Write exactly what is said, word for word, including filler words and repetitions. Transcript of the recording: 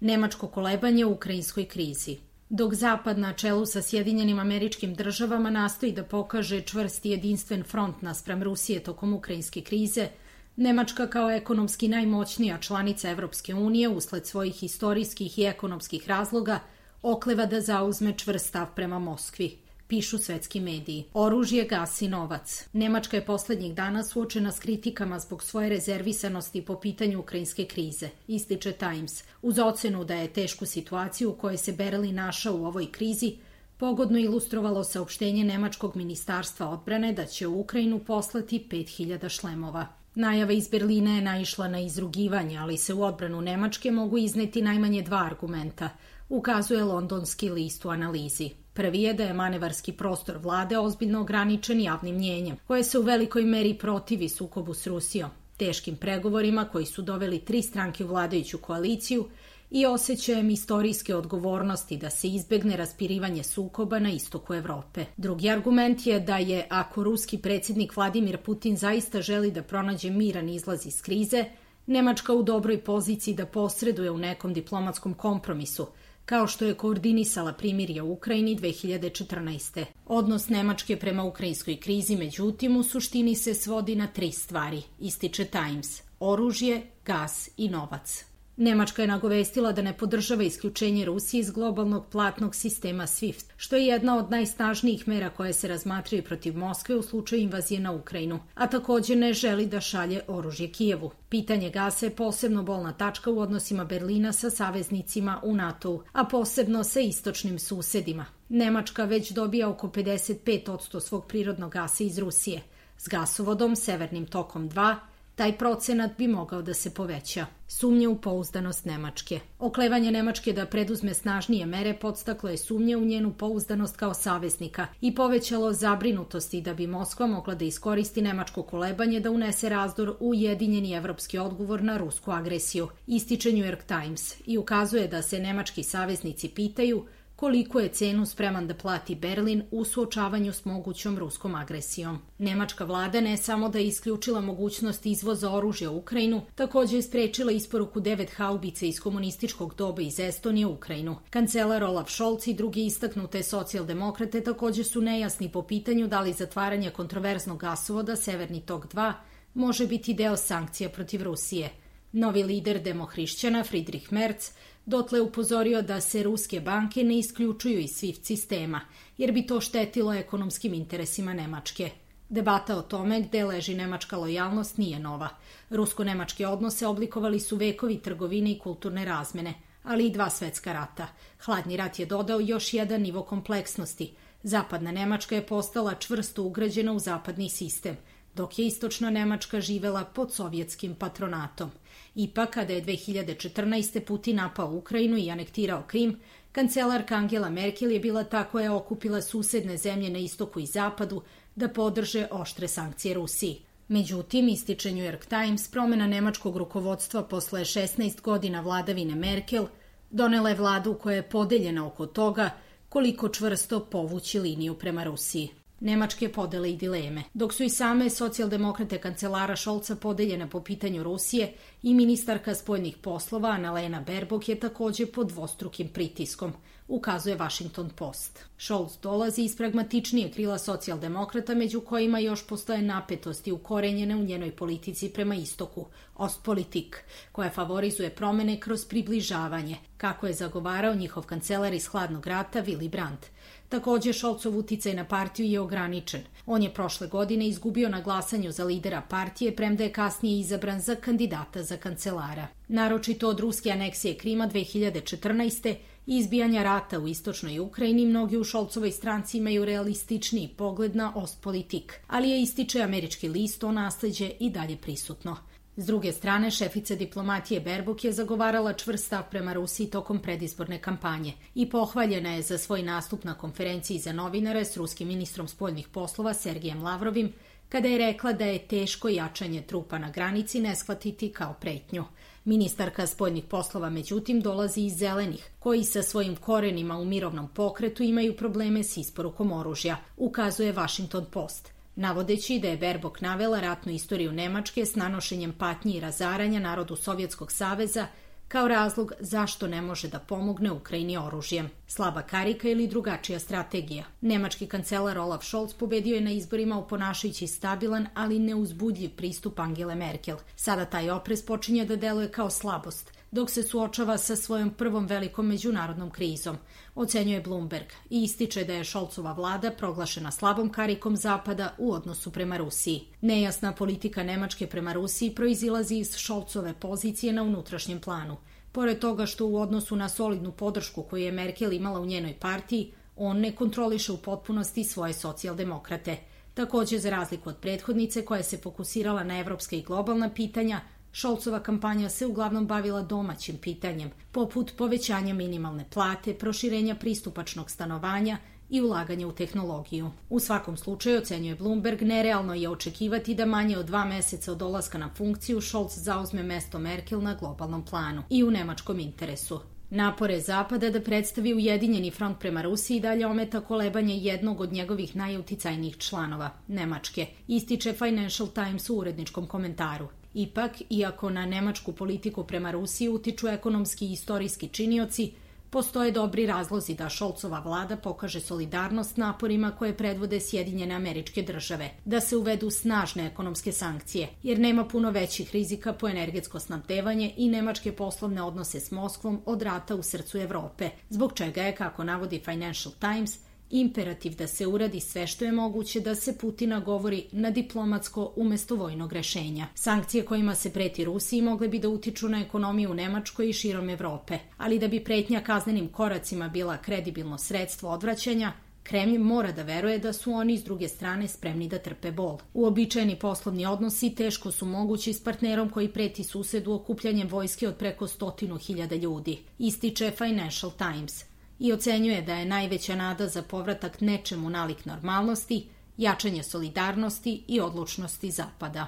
Nemačko kolebanje u ukrajinskoj krizi. Dok Zapad na čelu sa Sjedinjenim Američkim Državama nastoji da pokaže čvrst i jedinstven front naspram Rusije tokom ukrajinske krize, Nemačka kao ekonomski najmoćnija članica Evropske unije usled svojih istorijskih i ekonomskih razloga okleva da zauzme čvrst stav prema Moskvi, pišu svetski mediji. Oružje, gas i novac. Nemačka je poslednjih dana suočena s kritikama zbog svoje rezervisanosti po pitanju ukrajinske krize, ističe Times, uz ocenu da je tešku situaciju u kojoj se Berlin našao u ovoj krizi pogodno ilustrovalo saopštenje Nemačkog ministarstva odbrane da će u Ukrajinu poslati pet hiljada šlemova. Najava iz Berlina je naišla na izrugivanje, ali se u odbranu Nemačke mogu izneti najmanje dva argumenta, ukazuje londonski list u analizi. Prvi je da je manevarski prostor vlade ozbiljno ograničen javnim mnjenjem, koje se u velikoj meri protivi sukobu s Rusijom, teškim pregovorima koji su doveli tri stranke u vladajuću koaliciju i osjećajem istorijske odgovornosti da se izbegne raspirivanje sukoba na istoku Evrope. Drugi argument je da je, ako ruski predsjednik Vladimir Putin zaista želi da pronađe miran izlaz iz krize, Nemačka u dobroj poziciji da posreduje u nekom diplomatskom kompromisu, kao što je koordinisala primirje u Ukrajini dve hiljade četrnaeste. Odnos Nemačke prema ukrajinskoj krizi, međutim, u suštini se svodi na tri stvari, ističe Times: oružje, gas i novac. Nemačka je nagovestila da ne podržava isključenje Rusije iz globalnog platnog sistema SWIFT, što je jedna od najsnažnijih mera koje se razmatraju protiv Moskve u slučaju invazije na Ukrajinu, a također ne želi da šalje oružje Kijevu. Pitanje gasa je posebno bolna tačka u odnosima Berlina sa saveznicima u NATO-u, a posebno sa istočnim susedima. Nemačka već dobija oko pedeset pet posto svog prirodnog gasa iz Rusije. S gasovodom Severnim tokom dva taj procenat bi mogao da se poveća. Sumnje u pouzdanost Nemačke. Oklevanje Nemačke da preduzme snažnije mere podstaklo je sumnje u njenu pouzdanost kao saveznika i povećalo zabrinutosti da bi Moskva mogla da iskoristi nemačko kolebanje da unese razdor u ujedinjeni evropski odgovor na rusku agresiju, ističe New York Times, i ukazuje da se nemački saveznici pitaju koliko je cenu spreman da plati Berlin u suočavanju s mogućom ruskom agresijom. Nemačka vlada ne samo da je isključila mogućnost izvoza oružja u Ukrajinu, također je sprečila isporuku devet haubica iz komunističkog doba iz Estonije u Ukrajinu. Kancelar Olaf Scholz i drugi istaknute socijaldemokrate također su nejasni po pitanju da li zatvaranje kontroverznog gasovoda Severni tok dva može biti deo sankcija protiv Rusije. Novi lider demohrišćana Friedrich Merz dotle upozorio da se ruske banke ne isključuju iz SWIFT sistema, jer bi to štetilo ekonomskim interesima Nemačke. Debata o tome gde leži nemačka lojalnost nije nova. Rusko-nemačke odnose oblikovali su vekovi trgovine i kulturne razmene, ali i dva svetska rata. Hladni rat je dodao još jedan nivo kompleksnosti. Zapadna Nemačka je postala čvrsto ugrađena u zapadni sistem, dok je istočna Nemačka živela pod sovjetskim patronatom. Ipak, kada je dve hiljade četrnaeste. Putin napao Ukrajinu i anektirao Krim, kancelarka Angela Merkel je bila ta koja je okupila susedne zemlje na istoku i zapadu da podrže oštre sankcije Rusiji. Međutim, ističe New York Times, promjena nemačkog rukovodstva posle šesnaest godina vladavine Merkel donela je vladu koja je podeljena oko toga koliko čvrsto povući liniju prema Rusiji. Nemačke podele i dileme. Dok su i same socijaldemokrate kancelara Scholza podeljene po pitanju Rusije, i ministarka spoljnih poslova Annalena Baerbock je također pod dvostrukim pritiskom, ukazuje Washington Post. Scholz dolazi iz pragmatičnije krila socijaldemokrata, među kojima još postoje napetosti ukorenjene u njenoj politici prema istoku, Ostpolitik, koja favorizuje promene kroz približavanje, kako je zagovarao njihov kancelar iz hladnog rata Willy Brandt. Također, Scholzov uticaj na partiju je ograničen. On je prošle godine izgubio na glasanju za lidera partije, premda je kasnije izabran za kandidata za kancelara. Naročito od ruske aneksije Krima dve hiljade četrnaeste. i izbijanja rata u istočnoj Ukrajini, mnogi u Scholzovoj stranci imaju realističniji pogled na Ostpolitik, ali je, ističe američki list, to nasleđe i dalje prisutno. S druge strane, šefica diplomatije Baerbock je zagovarala čvrst stav prema Rusiji tokom predizborne kampanje i pohvaljena je za svoj nastup na konferenciji za novinare s ruskim ministrom spoljnih poslova Sergejem Lavrovim, kada je rekla da je teško jačanje trupa na granici ne shvatiti kao pretnju. Ministarka spoljnih poslova, međutim, dolazi iz Zelenih, koji sa svojim korenima u mirovnom pokretu imaju probleme s isporukom oružja, ukazuje Washington Post, navodeći da je Baerbock navela ratnu istoriju Nemačke s nanošenjem patnji i razaranja narodu Sovjetskog saveza kao razlog zašto ne može da pomogne Ukrajini oružjem. Slaba karika ili drugačija strategija. Nemački kancelar Olaf Scholz pobedio je na izborima oponašajući stabilan, ali neuzbudljiv pristup Angele Merkel. Sada taj oprez počinje da deluje kao slabost, dok se suočava sa svojom prvom velikom međunarodnom krizom, ocenjuje Bloomberg i ističe da je Scholzova vlada proglašena slabom karikom Zapada u odnosu prema Rusiji. Nejasna politika Nemačke prema Rusiji proizilazi iz Scholzove pozicije na unutrašnjem planu. Pored toga što u odnosu na solidnu podršku koju je Merkel imala u njenoj partiji, on ne kontroliše u potpunosti svoje socijaldemokrate. Također, za razliku od prethodnice koja se fokusirala na evropska i globalna pitanja, Scholzova kampanja se uglavnom bavila domaćim pitanjem, poput povećanja minimalne plate, proširenja pristupačnog stanovanja i ulaganja u tehnologiju. U svakom slučaju, ocenjuje Bloomberg, nerealno je očekivati da manje od dva meseca od dolaska na funkciju Scholz zauzme mesto Merkel na globalnom planu i u nemačkom interesu. Napore Zapada da predstavi ujedinjeni front prema Rusiji dalje ometa kolebanje jednog od njegovih najuticajnijih članova, Nemačke, ističe Financial Times u uredničkom komentaru. Ipak, iako na nemačku politiku prema Rusiji utiču ekonomski i istorijski činioci, postoje dobri razlozi da Scholzova vlada pokaže solidarnost naporima koje predvode Sjedinjene Američke Države, da se uvedu snažne ekonomske sankcije, jer nema puno većih rizika po energetsko snabdevanje i nemačke poslovne odnose s Moskvom od rata u srcu Evrope, zbog čega je, kako navodi Financial Times, imperativ da se uradi sve što je moguće da se Putina govori na diplomatsko umesto vojnog rešenja. Sankcije kojima se preti Rusiji mogle bi da utiču na ekonomiju u Nemačkoj i širom Evrope, ali da bi pretnja kaznenim koracima bila kredibilno sredstvo odvraćanja, Kremlj mora da veruje da su oni s druge strane spremni da trpe bol. Uobičajeni poslovni odnosi teško su mogući s partnerom koji preti susedu okupljanjem vojske od preko stotinu hiljada ljudi, ističe Financial Times. I ocenjuje da je najveća nada za povratak nečemu nalik normalnosti, jačanje solidarnosti i odlučnosti Zapada.